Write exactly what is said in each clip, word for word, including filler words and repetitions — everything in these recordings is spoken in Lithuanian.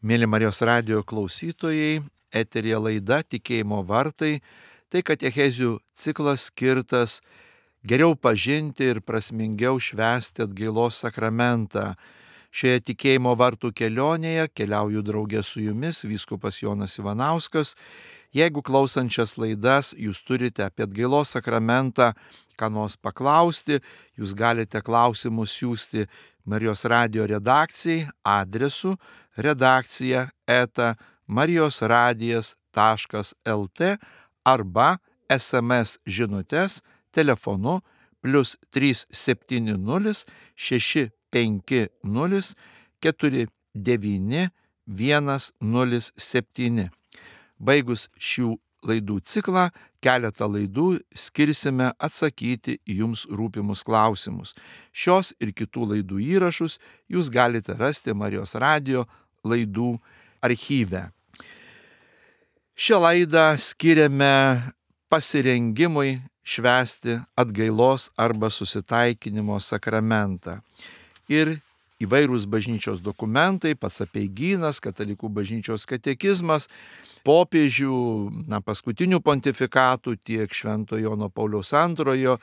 Mėly Marijos radijo klausytojai, eteryje laida Tikėjimo vartai, tai katechezių ciklas skirtas geriau pažinti ir prasmingiau švęsti atgailos sakramentą. Šioje tikėjimo vartų kelionėje keliauju draugė su jumis, vyskupas Jonas Ivanauskas. Jeigu klausančias laidas jūs turite apie atgailos sakramentą ką nors paklausti, jūs galite klausimus siųsti Marijos radijo redakcijai adresu redakcija eta marijosradijas taškas lt arba es em es žinutes telefonu plius trys septyni nulis šeši penki nulis keturi devyni vienas nulis septyni. Baigus šių laidų ciklą, keletą laidų skirsime atsakyti į jums rūpimus klausimus. Šios ir kitų laidų įrašus jūs galite rasti Marijos radijo laidų archyve. Šią laidą skiriame pasirengimui švęsti atgailos arba susitaikinimo sakramentą. Ir įvairūs bažnyčios dokumentai, pats apeigynas, katalikų bažnyčios katekizmas, popiežių, na, paskutinių pontifikatų, tiek Šventojo Jono Pauliaus antrojo,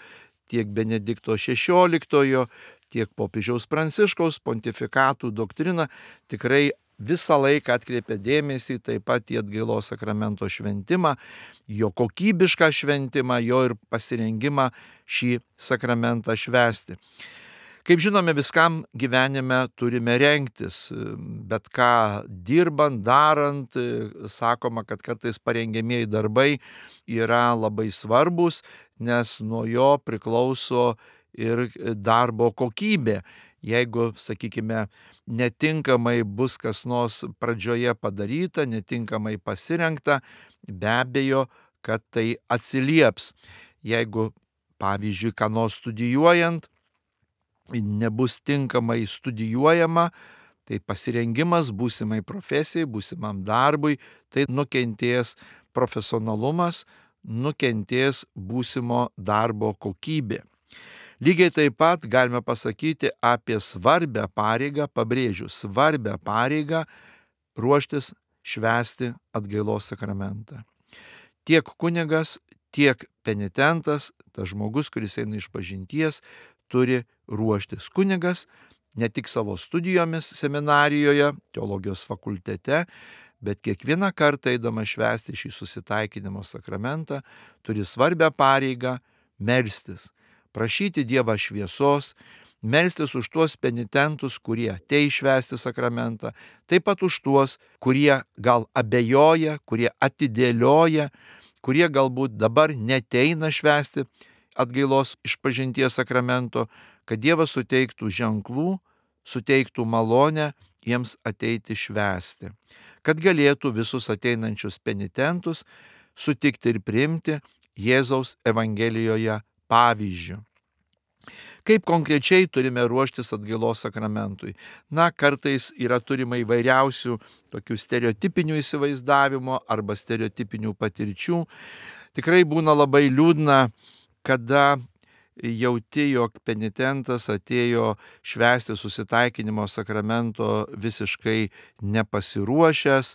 tiek Benedikto šešioliktojo, tiek popiežiaus Pranciškaus pontifikatų doktrina tikrai visą laiką atkreipia dėmesį taip pat į atgailos sakramento šventimą, jo kokybišką šventimą, jo ir pasirengimą šį sakramentą švęsti. Kaip žinome, viskam gyvenime turime rengtis, bet ką dirbant, darant, sakoma, kad kartais parengiamieji darbai yra labai svarbus, nes nuo jo priklauso ir darbo kokybė. Jeigu, sakykime, netinkamai bus kas nors pradžioje padaryta, netinkamai pasirengta, be abejo, kad tai atsilieps. Jeigu, pavyzdžiui, ką nors studijuojant, nebus tinkamai studijuojama, tai pasirengimas būsimai profesijai, būsimam darbui, tai nukentės profesionalumas, nukentės būsimo darbo kokybė. Lygiai taip pat galime pasakyti apie svarbią pareigą, pabrėžiu, svarbią pareigą ruoštis švęsti atgailos sakramentą. Tiek kunigas, tiek penitentas, tas žmogus, kuris eina išpažinties, turi ruoštis. Kunigas ne tik savo studijomis seminarijoje, teologijos fakultete, bet kiekvieną kartą eidamas švęsti šį susitaikinimo sakramentą, turi svarbią pareigą melstis, prašyti Dievą šviesos, melstis už tuos penitentus, kurie ateis švęsti sakramentą, taip pat už tuos, kurie gal abejoja, kurie atidėlioja, kurie galbūt dabar neteina švęsti atgailos išpažinties sakramento, kad Dievas suteiktų ženklų, suteiktų malonę jiems ateiti švęsti, kad galėtų visus ateinančius penitentus sutikti ir priimti Jėzaus Evangelijoje pavyzdžiu. Kaip konkrečiai turime ruoštis atgailos sakramentui? Na, kartais yra turima įvairiausių tokių stereotipinių įsivaizdavimo arba stereotipinių patirčių. Tikrai būna labai liūdna, kada jauti, jog penitentas atėjo švęsti susitaikinimo sakramento visiškai nepasiruošęs,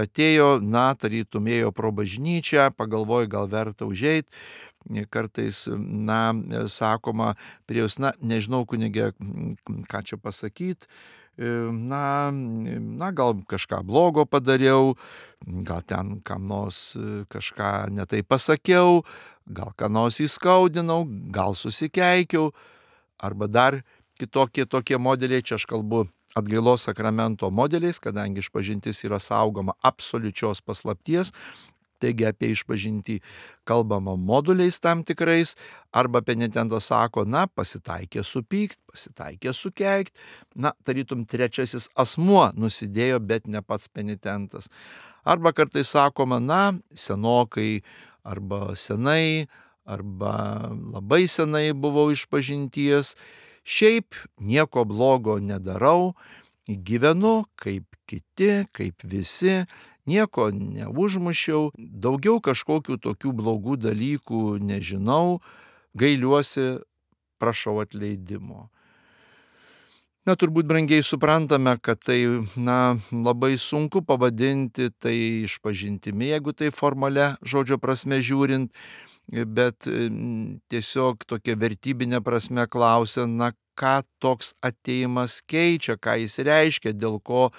atėjo, na, tarytum ėjo pro bažnyčią, pagalvojo, gal verta užeit. Kartais, na, sakoma, prie jūs, na, nežinau, kunige, ką čia pasakyti, na, na, gal kažką blogo padariau, gal ten kam nors kažką netai pasakiau, gal ką nors įskaudinau, gal susikeikiau, arba dar kitokie tokie modeliai, čia aš kalbu atgailos sakramento modeliais, kadangi išpažintis yra saugoma absoliučios paslapties, taigi apie išpažintį kalbama moduliais tam tikrais, arba penitentas sako, na, pasitaikė supykt, pasitaikė sukeikt, na, tarytum trečiasis asmuo nusidėjo, bet ne pats penitentas. Arba kartais sakoma, na, senokai, arba senai, arba labai senai buvau išpažinties, šiaip nieko blogo nedarau, gyvenu kaip kiti, kaip visi, nieko neužmušiau, daugiau kažkokių tokių blogų dalykų nežinau, gailiuosi, prašau atleidimo. Na, turbūt brangiai suprantame, kad tai, na, labai sunku pavadinti tai išpažintimi, jeigu tai formalia žodžio prasme žiūrint, bet mm, tiesiog tokia vertybinė prasme klausia, na, ką toks atėjimas keičia, ką jis reiškia, dėl ko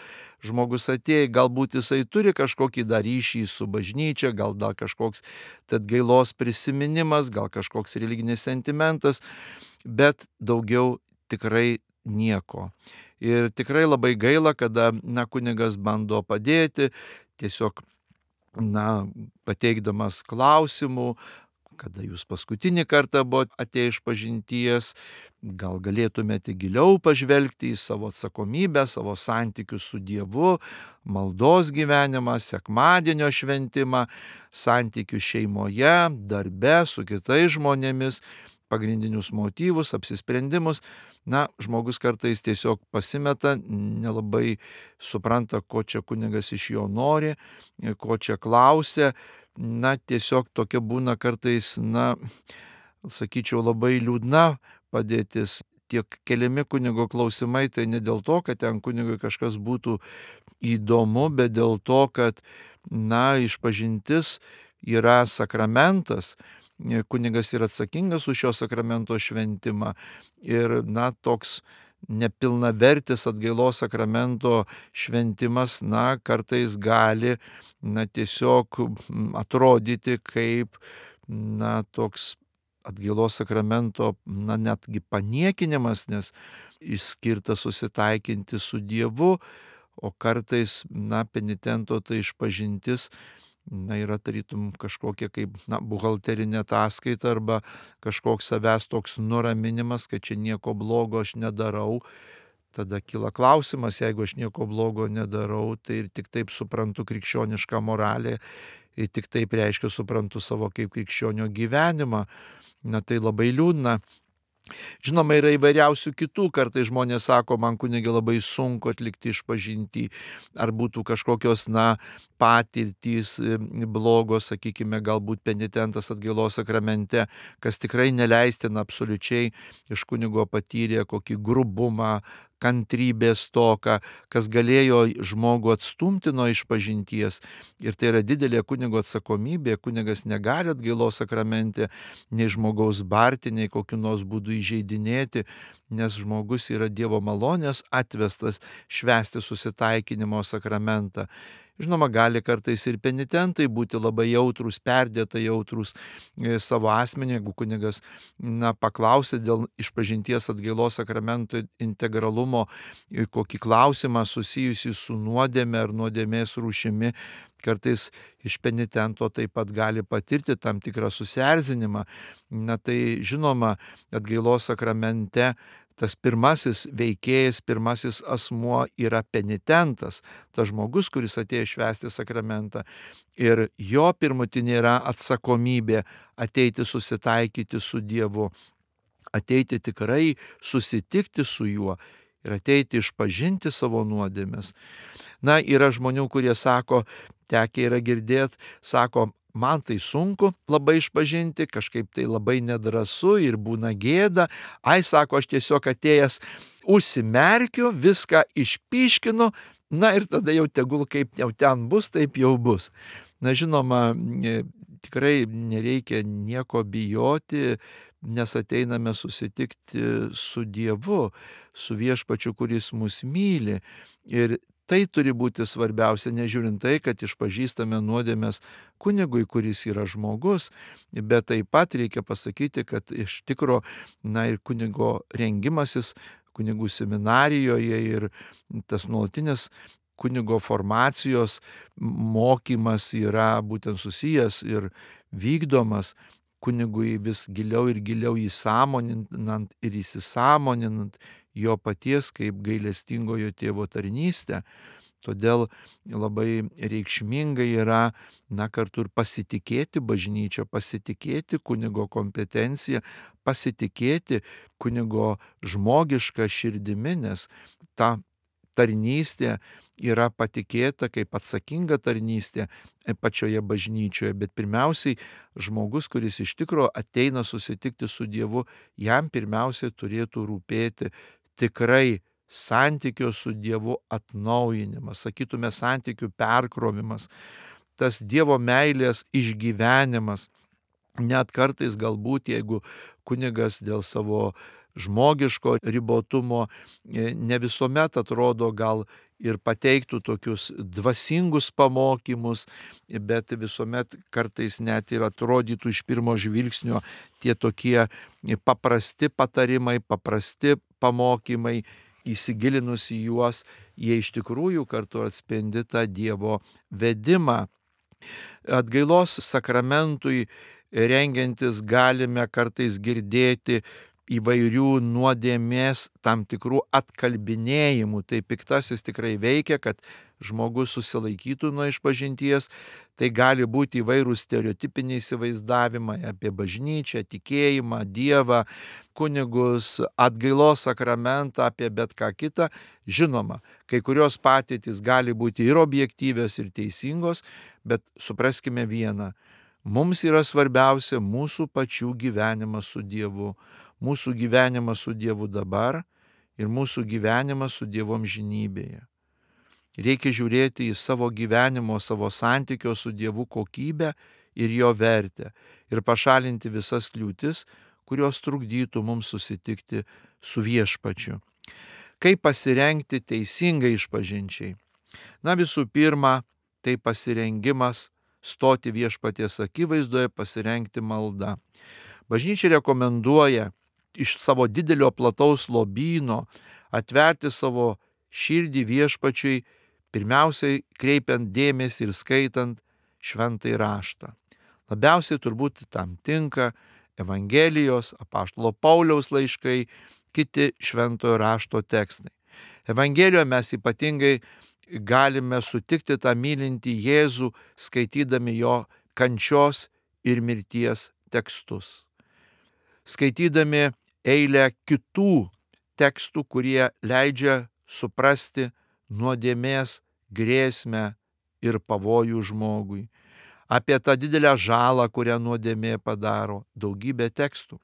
žmogus atėjo. Galbūt jisai turi kažkokį dar ryšį su bažnyčia, gal dar kažkoks tad gailos prisiminimas, gal kažkoks religinis sentimentas, bet daugiau tikrai nieko. Ir tikrai labai gaila, kada, na, kunigas bando padėti, tiesiog, na, pateikdamas klausimų, kada jūs paskutinį kartą buvote atėję iš pažinties, gal galėtumėte giliau pažvelgti į savo atsakomybę, savo santykius su Dievu, maldos gyvenimą, sekmadienio šventimą, santykius šeimoje, darbe, su kitais žmonėmis, pagrindinius motyvus, apsisprendimus. Na, žmogus kartais tiesiog pasimeta, nelabai supranta, ko čia kunigas iš jo nori, ko čia klausia. Na, tiesiog tokia būna kartais, na, sakyčiau, labai liūdna padėtis. Tiek keliami kunigo klausimai, tai ne dėl to, kad ten kunigui kažkas būtų įdomu, bet dėl to, kad, na, išpažintis yra sakramentas, kunigas yra atsakingas už šio sakramento šventimą ir, na, toks nepilnavertis atgailos sakramento šventimas, na, kartais gali, na, tiesiog atrodyti kaip, na, toks atgailos sakramento, na, netgi paniekinimas, nes išskirta susitaikinti su Dievu, o kartais, na, penitento tai išpažintis, na, yra tarytum kažkokia kaip, na, buhalterinė ataskaita arba kažkoks savęs toks nuraminimas, kad čia nieko blogo aš nedarau. Tada kyla klausimas, jeigu aš nieko blogo nedarau, tai ir tik taip suprantu krikščionišką moralę, ir tik taip reiškia suprantu savo kaip krikščionio gyvenimą. Na, tai labai liūdna. Žinoma, yra įvairiausių kitų, kartais žmonės sako, man kunige labai sunku atlikti išpažintį, ar būtų kažkokios, na, patirtys blogos, sakykime, galbūt penitentas atgailos sakramente, kas tikrai neleistina absoliučiai, iš kunigo patyrė kokį grubumą, kantrybės stoką, kas galėjo žmogų atstumti nuo išpažinties. Ir tai yra didelė kunigo atsakomybė, kunigas negali atgailos sakramente nei žmogaus barti, nei kokiu nors būdu įžeidinėti, nes žmogus yra Dievo malonės atvestas švęsti susitaikinimo sakramentą. Žinoma, gali kartais ir penitentai būti labai jautrūs, perdėtai jautrūs e, savo asmenį, jeigu kunigas, na, paklausė dėl išpažinties atgailos sakramento integralumo e, kokį klausimą susijusį su nuodėme ar nuodėmės rūšimi, kartais iš penitento taip pat gali patirti tam tikrą susierzinimą. Na, tai žinoma, atgailos sakramente tas pirmasis veikėjas, pirmasis asmuo yra penitentas, tas žmogus, kuris atėjo švęsti sakramentą. Ir jo pirmutinė yra atsakomybė ateiti susitaikyti su Dievu, ateiti tikrai susitikti su juo ir ateiti išpažinti savo nuodėmes. Na, yra žmonių, kurie sako, tekę yra girdėti, sako, man tai sunku labai išpažinti, kažkaip tai labai nedrąsu ir būna gėda. Ai, sako, aš tiesiog atėjęs užsimerkiu, viską išpyškinu, na ir tada jau tegul kaip jau ten bus, taip jau bus. Na, žinoma, tikrai nereikia nieko bijoti, nes ateiname susitikti su Dievu, su viešpačiu, kuris mus myli. Ir tai turi būti svarbiausia, nežiūrint tai, kad išpažįstame nuodėmes kunigui, kuris yra žmogus, bet taip pat reikia pasakyti, kad iš tikro, na, ir kunigo rengimasis kunigų seminarijoje ir tas nuolatinis kunigo formacijos mokymas yra būtent susijęs ir vykdomas kunigui vis giliau ir giliau įsąmoninant ir įsisąmoninant jo paties kaip gailestingojo tėvo tarnystę. Todėl labai reikšminga yra, na, kartu ir pasitikėti bažnyčia, pasitikėti kunigo kompetencija, pasitikėti kunigo žmogišką širdimi, nes ta tarnystė yra patikėta kaip atsakinga tarnystė pačioje bažnyčioje, bet pirmiausiai žmogus, kuris iš tikro ateina susitikti su Dievu, jam pirmiausiai turėtų rūpėti tikrai santykio su Dievu atnaujinimas, sakytume, santykių perkrovimas, tas Dievo meilės išgyvenimas. Net kartais galbūt, jeigu kunigas dėl savo žmogiško ribotumo ne visuomet atrodo gal ir pateiktų tokius dvasingus pamokymus, bet visuomet kartais net ir atrodytų iš pirmo žvilgsnio tie tokie paprasti patarimai, paprasti pamokymai, įsigilinus į juos, jie iš tikrųjų kartu atspindi tą Dievo vedimą. Atgailos sakramentui rengiantis galime kartais girdėti įvairių nuodėmės tam tikrų atkalbinėjimų. Tai piktasis tikrai veikia, kad žmogus susilaikytų nuo išpažinties. Tai gali būti įvairūs stereotipiniai įsivaizdavimai apie bažnyčią, tikėjimą, Dievą, kunigus, atgailos sakramentą, apie bet ką kitą. Žinoma, kai kurios patirtys gali būti ir objektyvios, ir teisingos, bet supraskime vieną. Mums yra svarbiausia mūsų pačių gyvenimas su Dievu, mūsų gyvenimas su Dievu dabar ir mūsų gyvenimas su Dievu amžinybėje. Reikia žiūrėti į savo gyvenimo, savo santykio su Dievu kokybę ir jo vertę ir pašalinti visas kliūtis, kurios trukdytų mums susitikti su Viešpačiu. Kaip pasirengti teisingai išpažinčiai? Na, visų pirma, tai pasirengimas stoti Viešpaties akivaizdoje, pasirengti maldą. Bažnyčia rekomenduoja iš savo didelio plataus lobyno atverti savo širdį Viešpačiui, pirmiausiai kreipiant dėmesį ir skaitant šventąjį raštą. Labiausiai turbūt tam tinka Evangelijos, apaštalo Pauliaus laiškai, kiti šventojo rašto tekstai. Evangelijoje mes ypatingai galime sutikti tą mylintį Jėzų, skaitydami jo kančios ir mirties tekstus. Skaitydami eilę kitų tekstų, kurie leidžia suprasti nuodėmės grėsmę ir pavojų žmogui. Apie tą didelę žalą, kurią nuodėmė padaro, daugybė tekstų.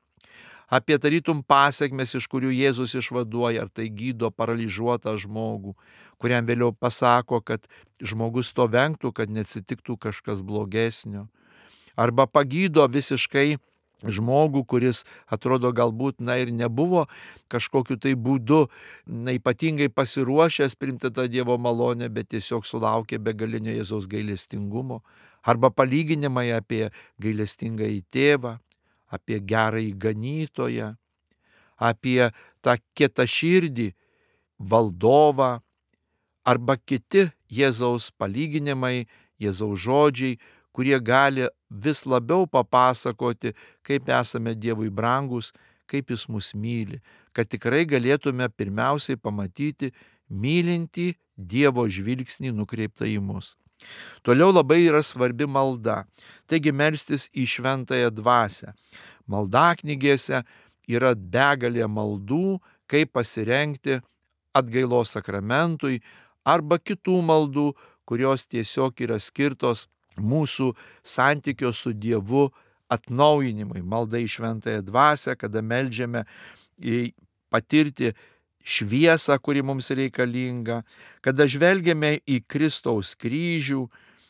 Apie tarytum pasekmes, iš kurių Jėzus išvaduoja, ar tai gydo paralyžiuotą žmogų, kuriam vėliau pasako, kad žmogus to vengtų, kad neatsitiktų kažkas blogesnio. Arba pagydo visiškai žmogų, kuris atrodo galbūt na ir nebuvo kažkokiu tai būdu na, ypatingai pasiruošęs priimti tą Dievo malonę, bet tiesiog sulaukė begalinio Jėzaus gailestingumo. Arba palyginimai apie gailestingąjį tėvą, apie gerąjį ganytoją, apie tą kietaširdį valdovą, arba kiti Jėzaus palyginimai, Jėzaus žodžiai, kurie gali vis labiau papasakoti, kaip esame Dievui brangus, kaip Jis mus myli, kad tikrai galėtume pirmiausiai pamatyti mylintį Dievo žvilgsnį nukreiptą į mus. Toliau labai yra svarbi malda, taigi melstis į šventąją dvasią. Maldaknygėse yra begalė maldų, kaip pasirengti atgailos sakramentui arba kitų maldų, kurios tiesiog yra skirtos mūsų santykio su Dievu atnaujinimui. Malda į šventąją dvasią, kada meldžiame patirti šviesą, kuri mums reikalinga, kada žvelgiame į Kristaus kryžių,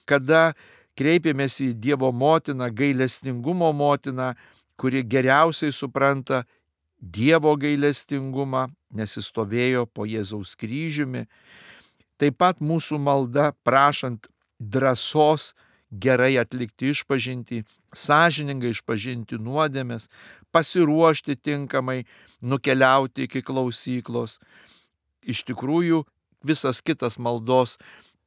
kada kreipiamės į Dievo motiną, gailestingumo motiną, kuri geriausiai supranta Dievo gailestingumą, nes jis stovėjo po Jėzaus kryžiumi. Taip pat mūsų malda prašant drąsos gerai atlikti išpažintį, sąžiningai išpažinti nuodėmes, pasiruošti tinkamai, nukeliauti iki klausyklos. Iš tikrųjų, visas kitas maldos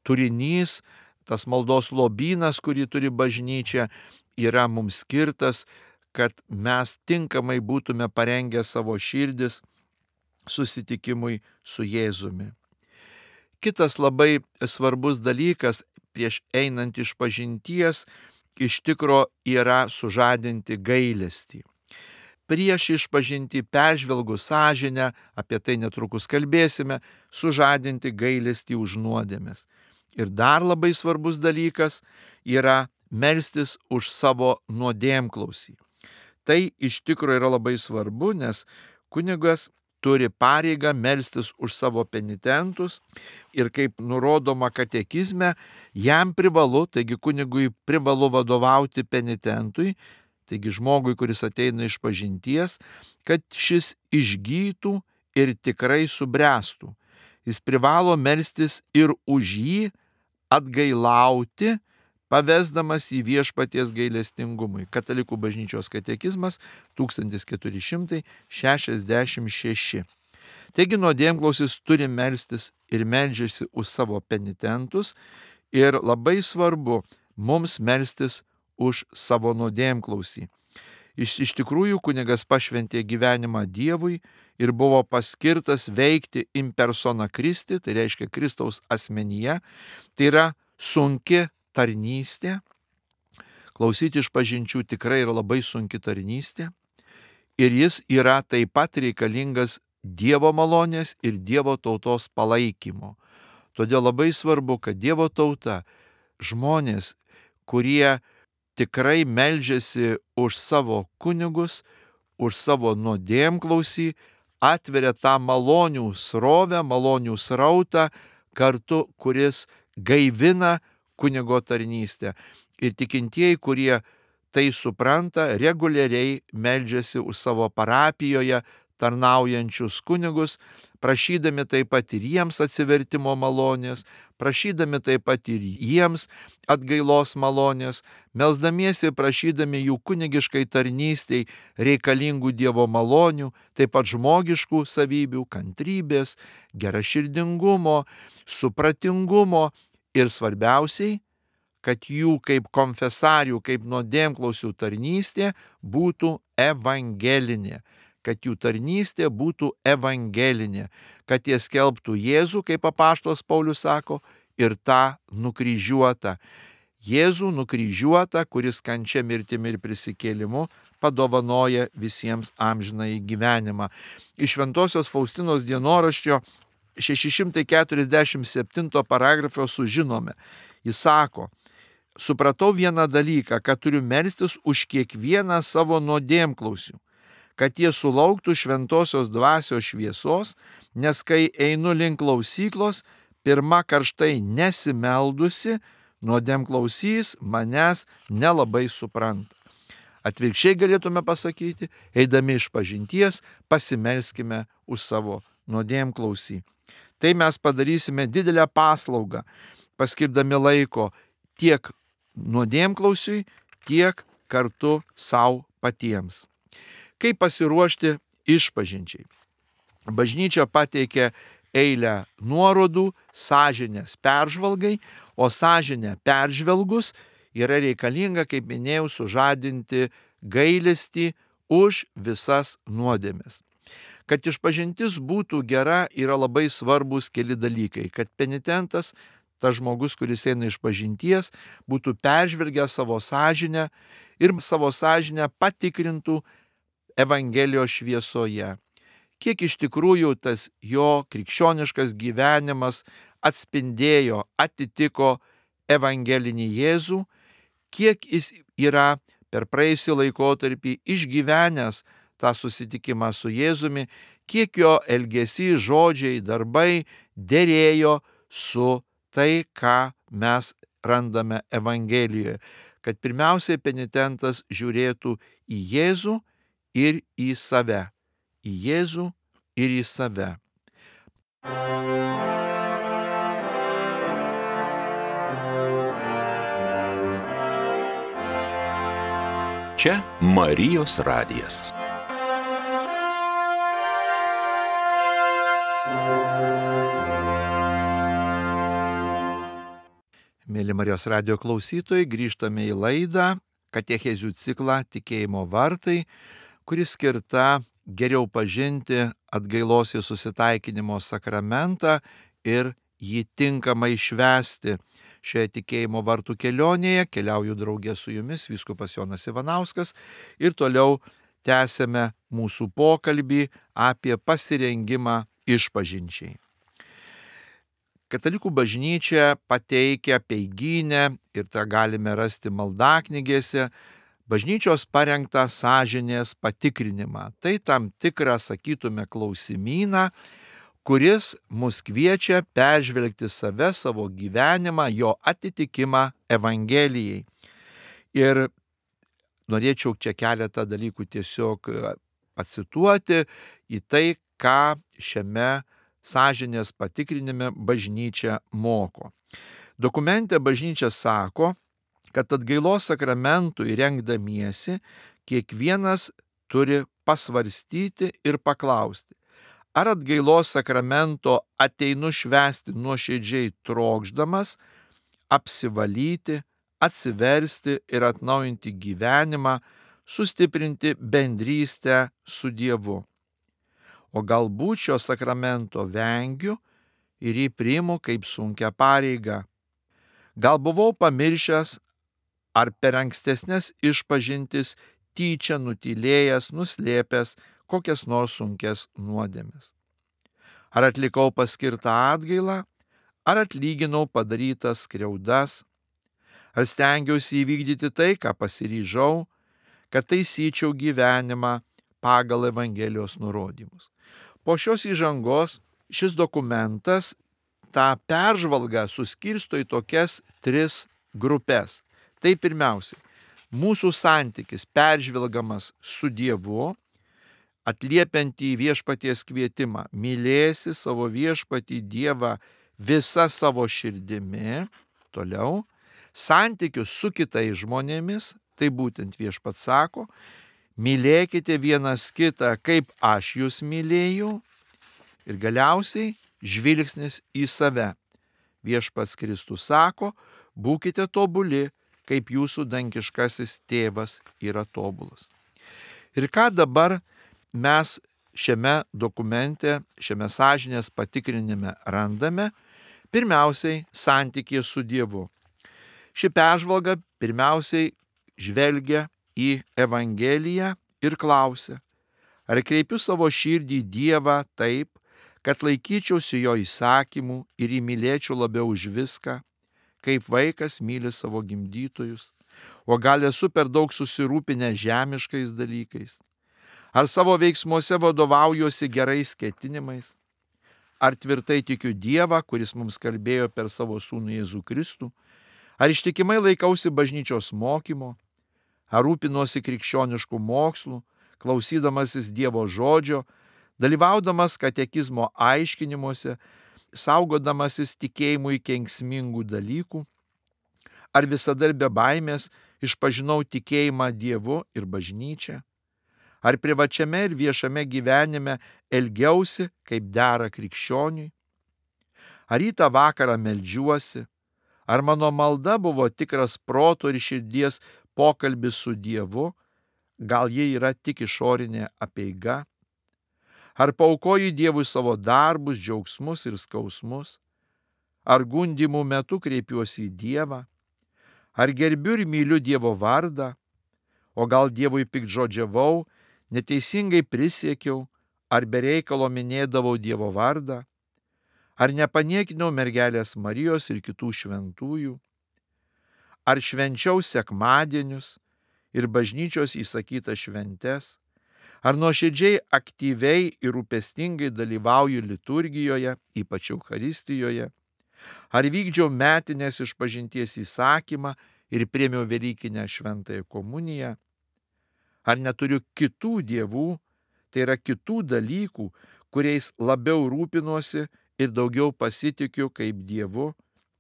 turinys, tas maldos lobynas, kurį turi bažnyčia, yra mums skirtas, kad mes tinkamai būtume parengę savo širdis susitikimui su Jėzumi. Kitas labai svarbus dalykas prieš einant išpažinties iš tikro yra sužadinti gailestį. Prieš išpažinti peržvelgus sąžinę, apie tai netrukus kalbėsime, sužadinti gailestį už nuodėmes. Ir dar labai svarbus dalykas yra melstis už savo nuodėmklausį. Tai iš tikro yra labai svarbu, nes kunigas turi pareigą melstis už savo penitentus ir kaip nurodoma katekizme, jam privalu, taigi kunigui privalu vadovauti penitentui, taigi žmogui, kuris ateina iš pažinties, kad šis išgytų ir tikrai subręstų. Jis privalo melstis ir už jį, atgailauti, pavesdamas į viešpaties gailestingumui. Katalikų bažnyčios katekizmas tūkstantis keturi šimtai šešiasdešimt šeši. Taigi nuodėmklausis turi melstis ir meldžiasi už savo penitentus ir labai svarbu mums melstis už savo nuodėmklausį. Iš, iš tikrųjų kunigas pašventė gyvenimą Dievui ir buvo paskirtas veikti in persona Christi, tai reiškia Kristaus asmenyje, tai yra sunki tarnystė. Klausyti iš pažinčių tikrai yra labai sunki tarnystė ir jis yra taip pat reikalingas Dievo malonės ir Dievo tautos palaikymo. Todėl labai svarbu, kad Dievo tauta, žmonės, kurie tikrai meldžiasi už savo kunigus, už savo nuodėmklausį, atveria tą malonių srovę, malonių srautą kartu, kuris gaivina kunigo tarnystę. Ir tikintieji, kurie tai supranta, reguliariai meldžiasi už savo parapijoje tarnaujančius kunigus, prašydami taip pat ir jiems atsivertimo malonės, prašydami taip pat ir jiems atgailos malonės, melsdamiesi ir prašydami jų kunigiškai tarnystei reikalingų Dievo malonių, taip pat žmogiškų savybių, kantrybės, geraširdingumo, supratingumo ir svarbiausiai, kad jų kaip konfesarių, kaip nuodėmklausių tarnystė būtų evangelinė. Kad jų tarnystė būtų evangelinė, kad jie skelbtų Jėzų, kaip apaštalas Paulius sako, ir tą nukryžiuotą. Jėzų nukryžiuotą, kuris kančia mirtimi ir prisikėlimu padovanoja visiems amžinąjį gyvenimą. Iš Šventosios Faustinos dienoraščio šeši šimtai keturiasdešimt septinto paragrafo sužinome. Jis sako: supratau vieną dalyką, kad turiu melstis už kiekvieną savo nuodėmklausių, kad jie sulauktų šventosios dvasios šviesos, nes kai einu link klausyklos, pirma karštai nesimeldusi, nuodėmklausys manęs nelabai supranta. Atvirkščiai galėtume pasakyti, eidami iš pažinties, pasimelskime už savo nuodėmklausį. Tai mes padarysime didelę paslaugą, paskirdami laiko tiek nuodėmklausiui, tiek kartu savo patiems. Kaip pasiruošti išpažinčiai? Bažnyčia pateikė eilę nuorodų sąžinės peržvalgai, o sąžinę peržvelgus yra reikalinga, kaip minėjau, sužadinti gailestį už visas nuodėmes. Kad išpažintis būtų gera, yra labai svarbus keli dalykai. Kad penitentas, tas žmogus, kuris eina iš pažinties, būtų peržvelgęs savo sąžinę ir savo sąžinę patikrintų Evangelijos šviesoje. Kiek iš tikrųjų tas jo krikščioniškas gyvenimas atspindėjo, atitiko evangelinį Jėzų, kiek jis yra per praėjusį laikotarpį išgyvenęs tą susitikimą su Jėzumi, kiek jo elgesys, žodžiai, darbai derėjo su tai, ką mes randame Evangelijoje. Kad pirmiausiai penitentas žiūrėtų į Jėzų ir į save. Į Jėzų ir į save. Čia Marijos radijas. Mėly Marijos radijo klausytojai, grįžtame į laidą katechezių ciklą Tikėjimo vartai, kuris skirta geriau pažinti atgailos ir susitaikinimo sakramentą ir jį tinkamai švęsti. Šioje tikėjimo vartų kelionėje keliauju draugė su jumis, vyskupas Jonas Ivanauskas, ir toliau tęsėme mūsų pokalbį apie pasirengimą išpažinčiai. Katalikų bažnyčia pateikia peigynę, ir tą galime rasti maldaknygėse, bažnyčios parengtą sąžinės patikrinimą. Tai tam tikrą, sakytume, klausimyną, kuris mus kviečia peržvelgti save, savo gyvenimą, jo atitikimą Evangelijai. Ir norėčiau čia keletą dalykų tiesiog pacituoti į tai, ką šiame sąžinės patikrinime bažnyčia moko. Dokumente bažnyčia sako, kad atgailos sakramentui rengdamiesi kiekvienas turi pasvarstyti ir paklausti, ar atgailos sakramento ateinu švęsti nuoširdžiai trokšdamas, apsivalyti, atsiversti ir atnaujinti gyvenimą, sustiprinti bendrystę su Dievu. O galbūt šio sakramento vengiu ir jį priimu kaip sunkią pareigą. Gal buvau pamiršęs ar per ankstesnės išpažintis tyčia nutylėjęs, nuslėpęs kokias nors sunkias nuodėmes. Ar atlikau paskirtą atgailą, ar atlyginau padarytas skriaudas, ar stengiausi įvykdyti tai, ką pasiryžau, kad taisyčiau gyvenimą pagal Evangelijos nurodymus. Po šios įžangos šis dokumentas tą peržvalgą suskirsto į tokias tris grupės. Tai pirmiausia, mūsų santykis peržvelgamas su Dievu, atliepiant į viešpaties kvietimą, mylėsi savo viešpatį Dievą visa savo širdimi, toliau, santykius su kitais žmonėmis, tai būtent viešpats sako, mylėkite vienas kitą, kaip aš jūs mylėjau, ir galiausiai žvilgsnis į save. Viešpats Kristus sako, būkite tobuli, kaip jūsų dangiškasis tėvas yra tobulas. Ir ką dabar mes šiame dokumente, šiame sąžinės patikrinime randame? Pirmiausiai, santykė su Dievu. Ši peržvalga pirmiausiai žvelgia į Evangeliją ir klausia, ar kreipiu savo širdį į Dievą taip, kad laikyčiausi jo įsakymų ir įmylėčiau labiau už viską, kaip vaikas myli savo gimdytojus, o gal esu per daug susirūpinę žemiškais dalykais? Ar savo veiksmuose vadovaujuosi gerais ketinimais? Ar tvirtai tikiu Dievą, kuris mums kalbėjo per savo sūnų Jėzų Kristų? Ar ištikimai laikausi bažnyčios mokymo? Ar rūpinuosi krikščioniškų mokslų, klausydamasis Dievo žodžio, dalyvaudamas katekizmo aiškinimuose, saugodamasis tikėjimui kenksmingų dalykų? Ar visada ir be baimės išpažinau tikėjimą Dievu ir bažnyčią? Ar privačiame ir viešame gyvenime elgiausi kaip dera krikščioniui? Ar rytą vakarą meldžiuosi? Ar mano malda buvo tikras proto ir širdies pokalbis su Dievu? Gal ji yra tik išorinė apeiga? Ar paaukoju Dievui savo darbus, džiaugsmus ir skausmus? Ar gundymų metu kreipiuosi į Dievą? Ar gerbiu ir myliu Dievo vardą? O gal Dievui piktžodžiavau, neteisingai prisiekiau, ar be reikalo minėdavau Dievo vardą? Ar nepaniekinau mergelės Marijos ir kitų šventųjų? Ar švenčiau sekmadienius ir bažnyčios įsakytas šventes? Ar nuoširdžiai, aktyviai ir rūpestingai dalyvauju liturgijoje, ypač Eucharistijoje? Ar vykdžiau metinės išpažinties įsakymą ir priėmiau Velykinę šventąją komuniją? Ar neturiu kitų dievų, tai yra kitų dalykų, kuriais labiau rūpinuosi ir daugiau pasitikiu kaip Dievu,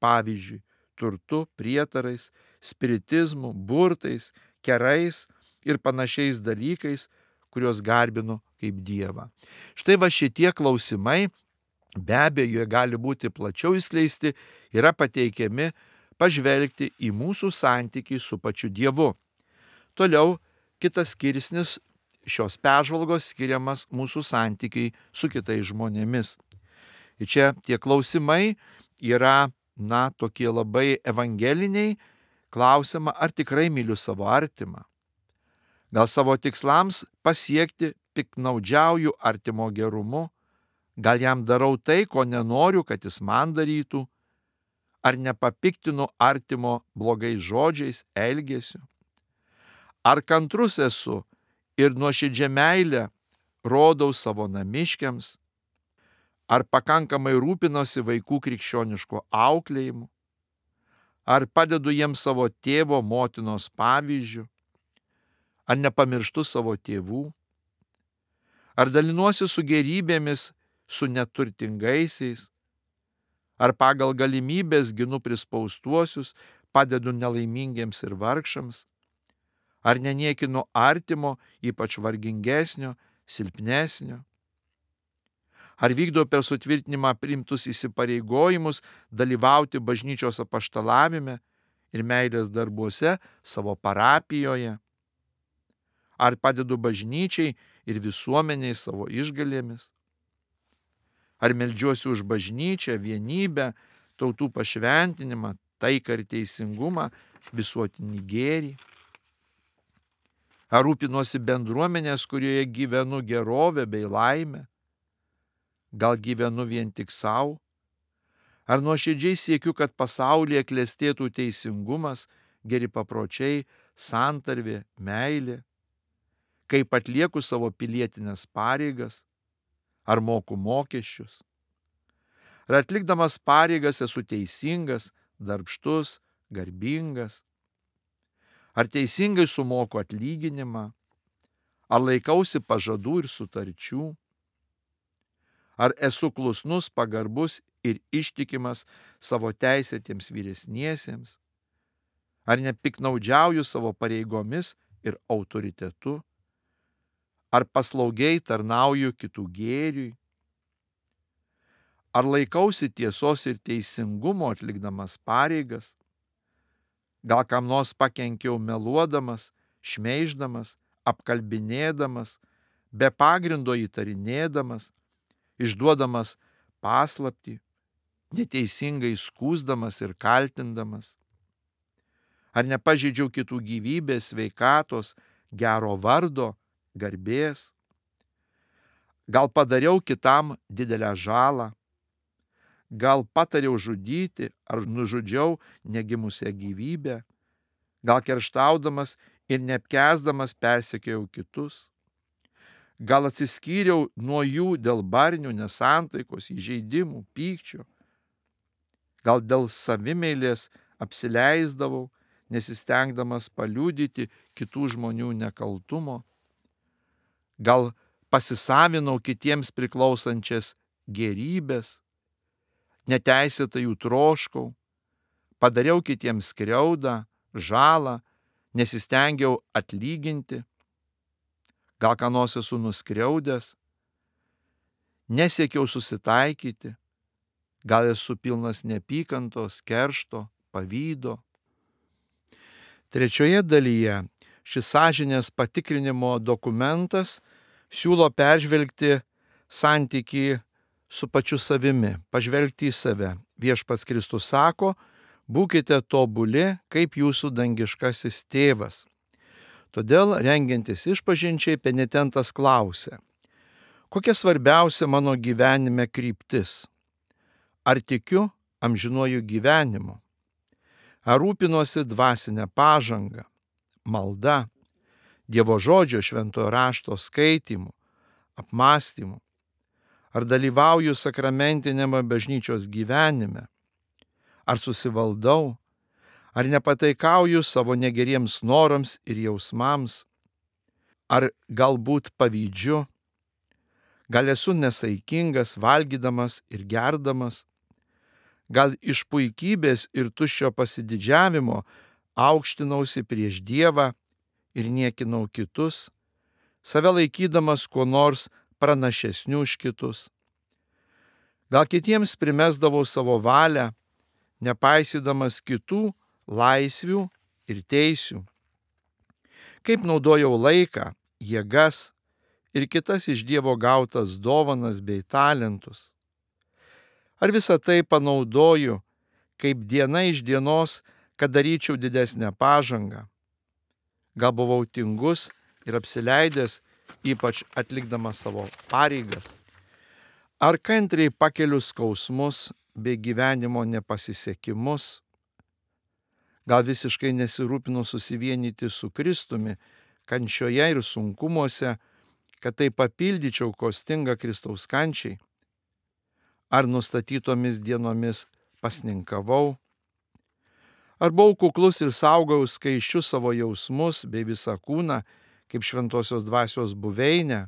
pavyzdžiui, turtu, prietarais, spiritizmu, burtais, kerais ir panašiais dalykais, kuriuos garbinu kaip Dievą. Štai va šitie klausimai, be abejo, jie gali būti plačiau įskleisti, yra pateikiami pažvelgti į mūsų santykį su pačiu Dievu. Toliau, kitas skirsnis šios peržvalgos skiriamas mūsų santykiai su kitais žmonėmis. Ir čia tie klausimai yra, na, tokie labai evangeliniai, klausiama, ar tikrai myliu savo artimą. Gal savo tikslams pasiekti piktnaudžiauju artimo gerumu, gal jam darau tai, ko nenoriu, kad jis man darytų, ar nepapiktinu artimo blogais žodžiais, elgesiu. Ar kantrus esu ir nuoširdžią meilę rodau savo namiškiams? Ar pakankamai rūpinosi vaikų krikščioniško auklėjimu? Ar padedu jiems savo tėvo, motinos pavyzdžių? Ar nepamirštu savo tėvų? Ar dalinuosi su gerybėmis su neturtingaisiais? Ar pagal galimybės ginu prispaustuosius, padedu nelaimingiems ir vargšams? Ar neniekinu artimo, ypač vargingesnio, silpnesnio? Ar vykdau per sutvirtinimą priimtus įsipareigojimus dalyvauti bažnyčios apaštalavime ir meilės darbuose savo parapijoje? Ar padedu bažnyčiai ir visuomeniai savo išgalėmis? Ar meldžiuosi už bažnyčią, vienybę, tautų pašventinimą, taiką ir teisingumą, visuotinį gėrį? Ar rūpinuosi bendruomenės, kurioje gyvenu gerovę bei laimę? Gal gyvenu vien tik savo? Ar nuoširdžiai siekiu, kad pasaulyje klestėtų teisingumas, geri papročiai, santarvė, meilė? Kaip atlieku savo pilietinės pareigas? Ar moku mokesčius? Ar atlikdamas pareigas esu teisingas, darbštus, garbingas? Ar teisingai sumoku atlyginimą? Ar laikausi pažadų ir sutarčių? Ar esu klusnus, pagarbus ir ištikimas savo teisėtiems vyresniesiems? Ar nepiknaudžiauju savo pareigomis ir autoritetu? Ar paslaugiai tarnauju kitų gėriui? Ar laikausi tiesos ir teisingumo atlikdamas pareigas? Gal kam nors pakenkiau meluodamas, šmeiždamas, apkalbinėdamas, be pagrindo įtarinėdamas, išduodamas paslaptį, neteisingai skųsdamas ir kaltindamas? Ar nepažeidžiau kitų gyvybės, sveikatos, gero vardo, garbės? Gal padariau kitam didelę žalą? Gal patariau žudyti ar nužudžiau negimusią gyvybę? Gal kerštaudamas ir neapkęsdamas persekiojau kitus? Gal atsiskyriau nuo jų dėl barnių, nesantaikos, įžeidimų, pykčio? Gal dėl savimeilės apsileisdavau, nesistengdamas paliudyti kitų žmonių nekaltumo? Gal pasisavinau kitiems priklausančias gėrybės, neteisėtai jų troškau, padariau kitiems skriaudą, žalą, nesistengiau atlyginti? Gal ką nors esu nuskriaudęs, nesiekiau susitaikyti, gal esu pilnas neapykantos, keršto, pavydo? Trečioje dalyje šis sąžinės patikrinimo dokumentas siūlo peržvelgti santykį su pačiu savimi, pažvelgti į save. Viešpats Kristus sako, būkite tobuli, kaip jūsų dangiškasis tėvas. Todėl, rengiantis išpažinčiai, penitentas klausia, kokia svarbiausia mano gyvenime kryptis? Ar tikiu amžinuoju gyvenimu? Ar rūpinuosi dvasinę pažangą, malda, Dievo žodžio šventojo rašto skaitymu, apmąstymu? Ar dalyvauju sakramentinėme bažnyčios gyvenime? Ar susivaldau? Ar nepataikauju savo negeriems norams ir jausmams? Ar galbūt pavydžiu? Gal esu nesaikingas, valgydamas ir gerdamas? Gal iš puikybės ir tuščio pasididžiavimo aukštinausi prieš Dievą ir niekinau kitus, save laikydamas kuo nors pranašesnių už kitus? Gal kitiems primesdavau savo valią, nepaisydamas kitų laisvių ir teisių? Kaip naudojau laiką, jėgas ir kitas iš Dievo gautas dovanas bei talentus? Ar visą tai panaudoju kaip diena iš dienos, kad daryčiau didesnę pažangą? Gal buvau tingus ir apsileidęs, ypač atlikdamas savo pareigas? Ar kantriai pakeliu skausmus bei gyvenimo nepasisekimus? gal visiškai nesirūpino susivienyti su Kristumi kančioje ir sunkumuose, kad tai papildyčiau, ko stinga Kristaus kančiai. Ar nustatytomis dienomis pasninkavau, ar buvau kuklus ir saugau skaičius savo jausmus bei visą kūną, kaip šventosios dvasios buveinę,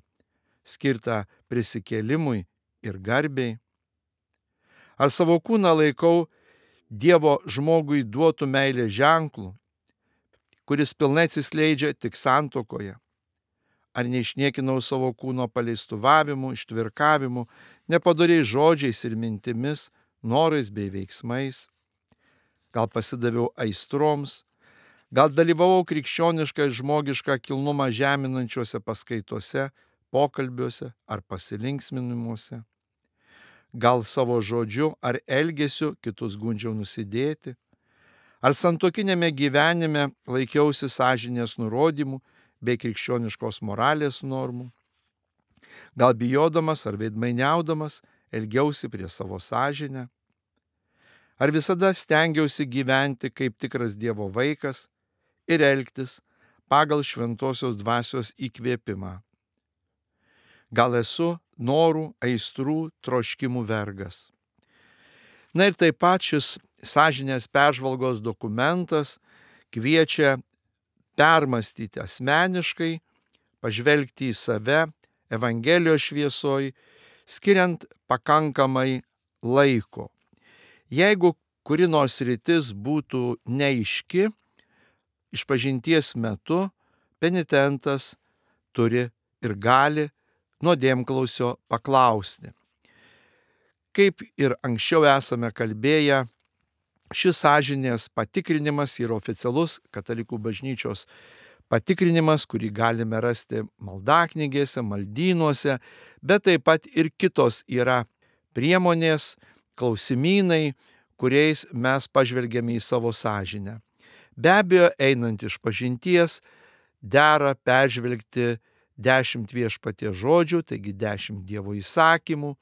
skirtą prisikėlimui ir garbei. Ar savo kūną laikau Dievo žmogui duotų meilės ženklų, kuris pilnai atsiskleidžia tik santuokoje. Ar neišniekinau savo kūno paleistuvavimu, ištvirkavimu, nepadoriais žodžiais ir mintimis, norais bei veiksmais. Gal pasidaviau aistroms, gal dalyvavau krikščionišką ir žmogišką kilnumą žeminančiuose paskaitose, pokalbiuose ar pasilinksminimuose. Gal savo žodžiu ar elgesiu kitus gundžiau nusidėti, ar santuokinėme gyvenime laikiausi sąžinės nurodymų bei krikščioniškos moralės normų. Gal bijodamas ar veidmainiaudamas elgiausi prie savo sąžinę, ar visada stengiausi gyventi kaip tikras Dievo vaikas ir elgtis pagal šventosios dvasios įkvėpimą. Gal esu norų, aistrų, troškimų vergas. Na ir taip pat šis sąžinės peržvalgos dokumentas kviečia permastyti asmeniškai, pažvelgti į save Evangelijos šviesoj, skiriant pakankamai laiko. Jeigu kuri nors sritis būtų neaiški, išpažinties metu penitentas turi ir gali nuodėmklausio paklausti. Kaip ir anksčiau esame kalbėję, šis sąžinės patikrinimas yra oficialus katalikų bažnyčios patikrinimas, kurį galime rasti maldaknygėse, maldynuose, bet taip pat ir kitos yra priemonės, klausimynai, kuriais mes pažvelgiame į savo sąžinę. Be abejo, einant iš pažinties, dera peržvelgti dešimt viešpaties žodžių, taigi dešimt Dievo įsakymų,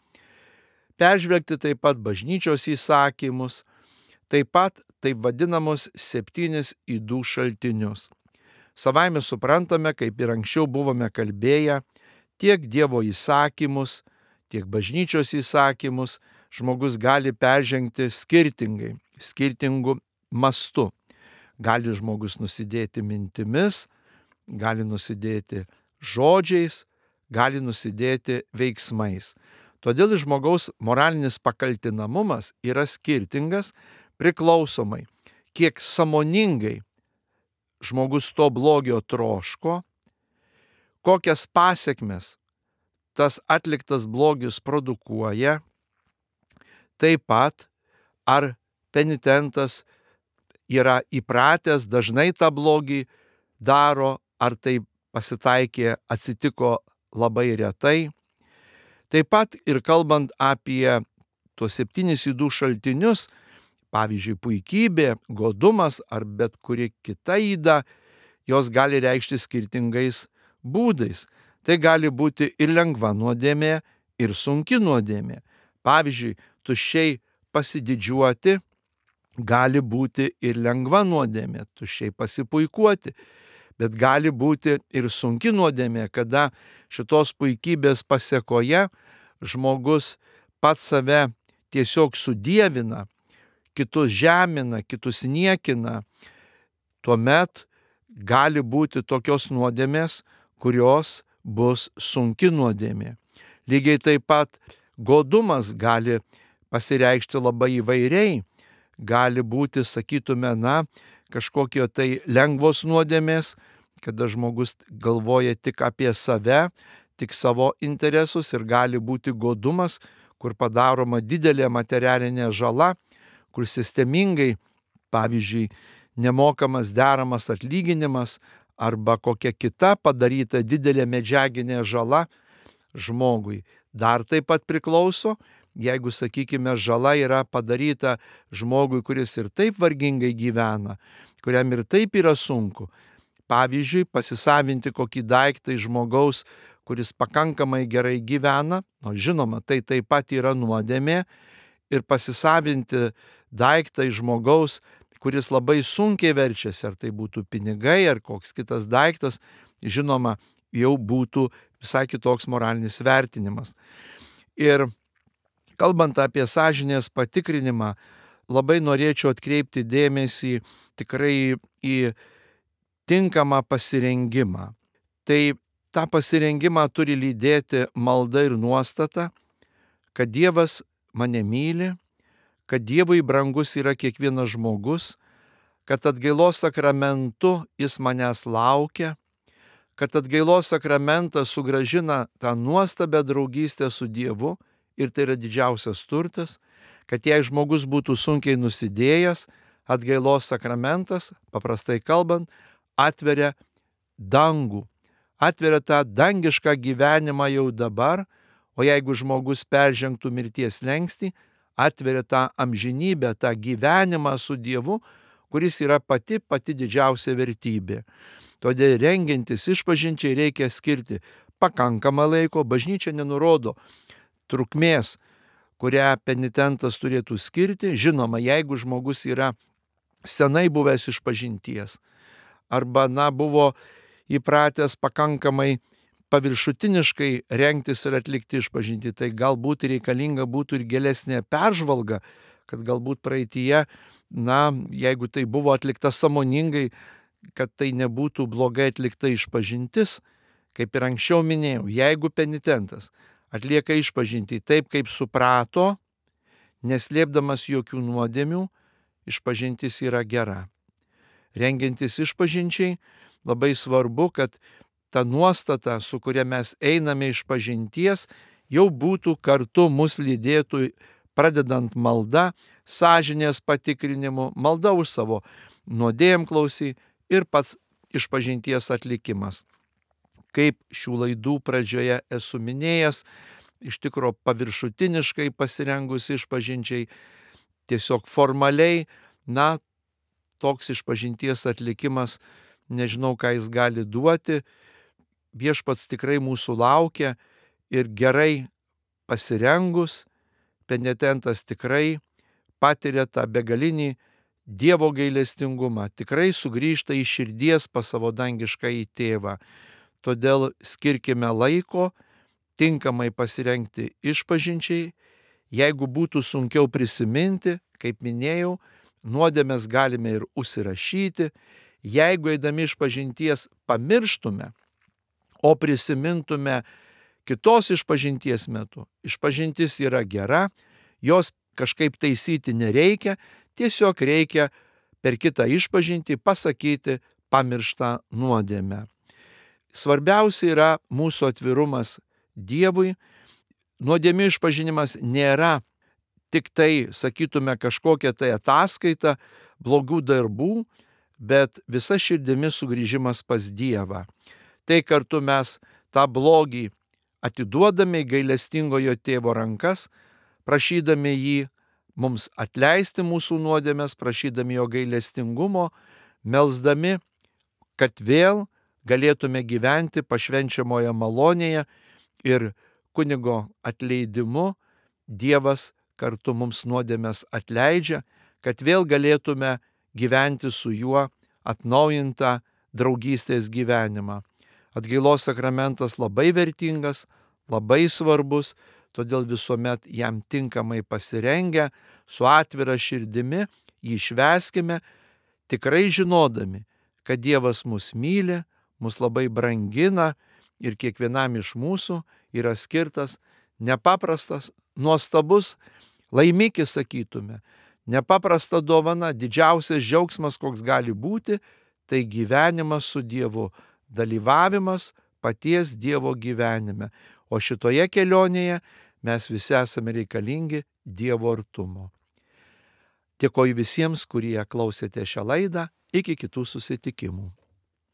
peržvelgti taip pat bažnyčios įsakymus, taip pat taip vadinamus septynis ydų šaltinius. Savaime suprantame, kaip ir anksčiau buvome kalbėję, tiek Dievo įsakymus, tiek bažnyčios įsakymus žmogus gali peržengti skirtingai, skirtingu mastu. Gali žmogus nusidėti mintimis, gali nusidėti žodžiais, gali nusidėti veiksmais. Todėl žmogaus moralinis pakaltinamumas yra skirtingas priklausomai, kiek sąmoningai žmogus to blogio troško, kokias pasekmes tas atliktas blogis produkuoja, taip pat ar penitentas yra įpratęs dažnai tą blogį daro, ar tai pasitaikė, atsitiko labai retai. Taip pat ir kalbant apie tuos septynis ydų šaltinius, pavyzdžiui, puikybė, godumas ar bet kuri kita yda, jos gali reikšti skirtingais būdais. Tai gali būti ir lengva nuodėmė, ir sunki nuodėmė. Pavyzdžiui, tuščiai pasididžiuoti gali būti ir lengva nuodėmė, tuščiai pasipuikuoti. Bet gali būti ir sunki nuodėmė, kada šitos puikybės pasekoje žmogus pats save tiesiog sudievina, kitus žemina, kitus niekina. Tuomet gali būti tokios nuodėmės, kurios bus sunki nuodėmė. Lygiai taip pat godumas gali pasireikšti labai įvairiai. Gali būti, sakytume, na, kažkokio tai lengvos nuodėmės, kada žmogus galvoja tik apie save, tik savo interesus, ir gali būti godumas, kur padaroma didelė materialinė žala, kur sistemingai, pavyzdžiui, nemokamas deramas atlyginimas arba kokia kita padaryta didelė medžiaginė žala žmogui. Dar taip pat priklauso, jeigu, sakykime, žala yra padaryta žmogui, kuris ir taip vargingai gyvena, kuriam ir taip yra sunku. Pavyzdžiui, pasisavinti kokį daiktą iš žmogaus, kuris pakankamai gerai gyvena, o žinoma, tai taip pat yra nuodėmė, ir pasisavinti daiktą iš žmogaus, kuris labai sunkiai verčiasi, ar tai būtų pinigai, ar koks kitas daiktas, žinoma, jau būtų visai kitoks moralinis vertinimas. Ir kalbant apie sąžinės patikrinimą, labai norėčiau atkreipti dėmesį tikrai į tinkamą pasirengimą. Tai tą pasirengimą turi lydėti malda ir nuostata, kad Dievas mane myli, kad Dievui brangus yra kiekvienas žmogus, kad atgailos sakramentu jis manęs laukia, kad atgailos sakramentas sugrąžina tą nuostabią draugystę su Dievu ir tai yra didžiausias turtas, kad jei žmogus būtų sunkiai nusidėjęs, atgailos sakramentas, paprastai kalbant, atveria dangų, atveria tą dangišką gyvenimą jau dabar, o jeigu žmogus peržengtų mirties slenkstį, atveria tą amžinybę, tą gyvenimą su Dievu, kuris yra pati pati didžiausia vertybė. Todėl rengiantis išpažinčiai reikia skirti pakankamą laiko, bažnyčia nenurodo trukmės, kurią penitentas turėtų skirti. Žinoma, jeigu žmogus yra senai buvęs išpažinties arba, na, buvo įpratęs pakankamai paviršutiniškai rengtis ir atlikti išpažintį, tai galbūt reikalinga būtų ir gilesnė peržvalga, kad galbūt praeityje, na, jeigu tai buvo atlikta sąmoningai, kad tai nebūtų blogai atlikta išpažintis. Kaip ir anksčiau minėjau, jeigu penitentas atlieka išpažintį taip, kaip suprato, neslėpdamas jokių nuodėmių, išpažintis yra gera. Rengiantis išpažinčiai, labai svarbu, kad ta nuostata, su kuria mes einame išpažinties, jau būtų kartu mus lydėtų, pradedant malda, sąžinės patikrinimu, malda už savo nuodėmklausį ir pats išpažinties atlikimas. Kaip šių laidų pradžioje esu minėjęs, iš tikro paviršutiniškai pasirengus išpažinčiai, tiesiog formaliai, na, toks išpažinties atlikimas, nežinau, ką jis gali duoti. Viešpats tikrai mūsų laukia ir gerai pasirengus, penitentas tikrai patiria tą begalinį Dievo gailestingumą, tikrai sugrįžta į širdies pas savo dangiškąjį tėvą. Todėl skirkime laiko tinkamai pasirengti išpažinčiai. Jeigu būtų sunkiau prisiminti, kaip minėjau, nuodėmes galime ir užsirašyti. Jeigu eidami išpažinties pamirštume, o prisimintume kitos išpažinties metu, išpažintis yra gera, jos kažkaip taisyti nereikia, tiesiog reikia per kitą išpažintį pasakyti pamirštą nuodėmę. Svarbiausia yra mūsų atvirumas Dievui. Nuodėmių išpažinimas nėra tik tai, sakytume, kažkokia tai ataskaita blogų darbų, bet visa širdimi sugrįžimas pas Dievą. Tai kartu mes tą blogį atiduodame į gailestingojo tėvo rankas, prašydami jį mums atleisti mūsų nuodėmes, prašydami jo gailestingumo, melsdami, kad vėl galėtume gyventi pašvenčiamoje malonėje ir kunigo atleidimu Dievas kartu mums nuodėmes atleidžia, kad vėl galėtume gyventi su juo atnaujintą draugystės gyvenimą. Atgailos sakramentas labai vertingas, labai svarbus, todėl visuomet jam tinkamai pasirengę, su atvira širdimi jį švęskime, tikrai žinodami, kad Dievas mus myli, mus labai brangina ir kiekvienam iš mūsų yra skirtas nepaprastas, nuostabus laimikis, sakytume, nepaprasta dovana, didžiausias džiaugsmas, koks gali būti, tai gyvenimas su Dievu, dalyvavimas paties Dievo gyvenime. O šitoje kelionėje mes visi esame reikalingi Dievo artumo. Dėkoju visiems, kurie klausėte šią laidą. Iki kitų susitikimų.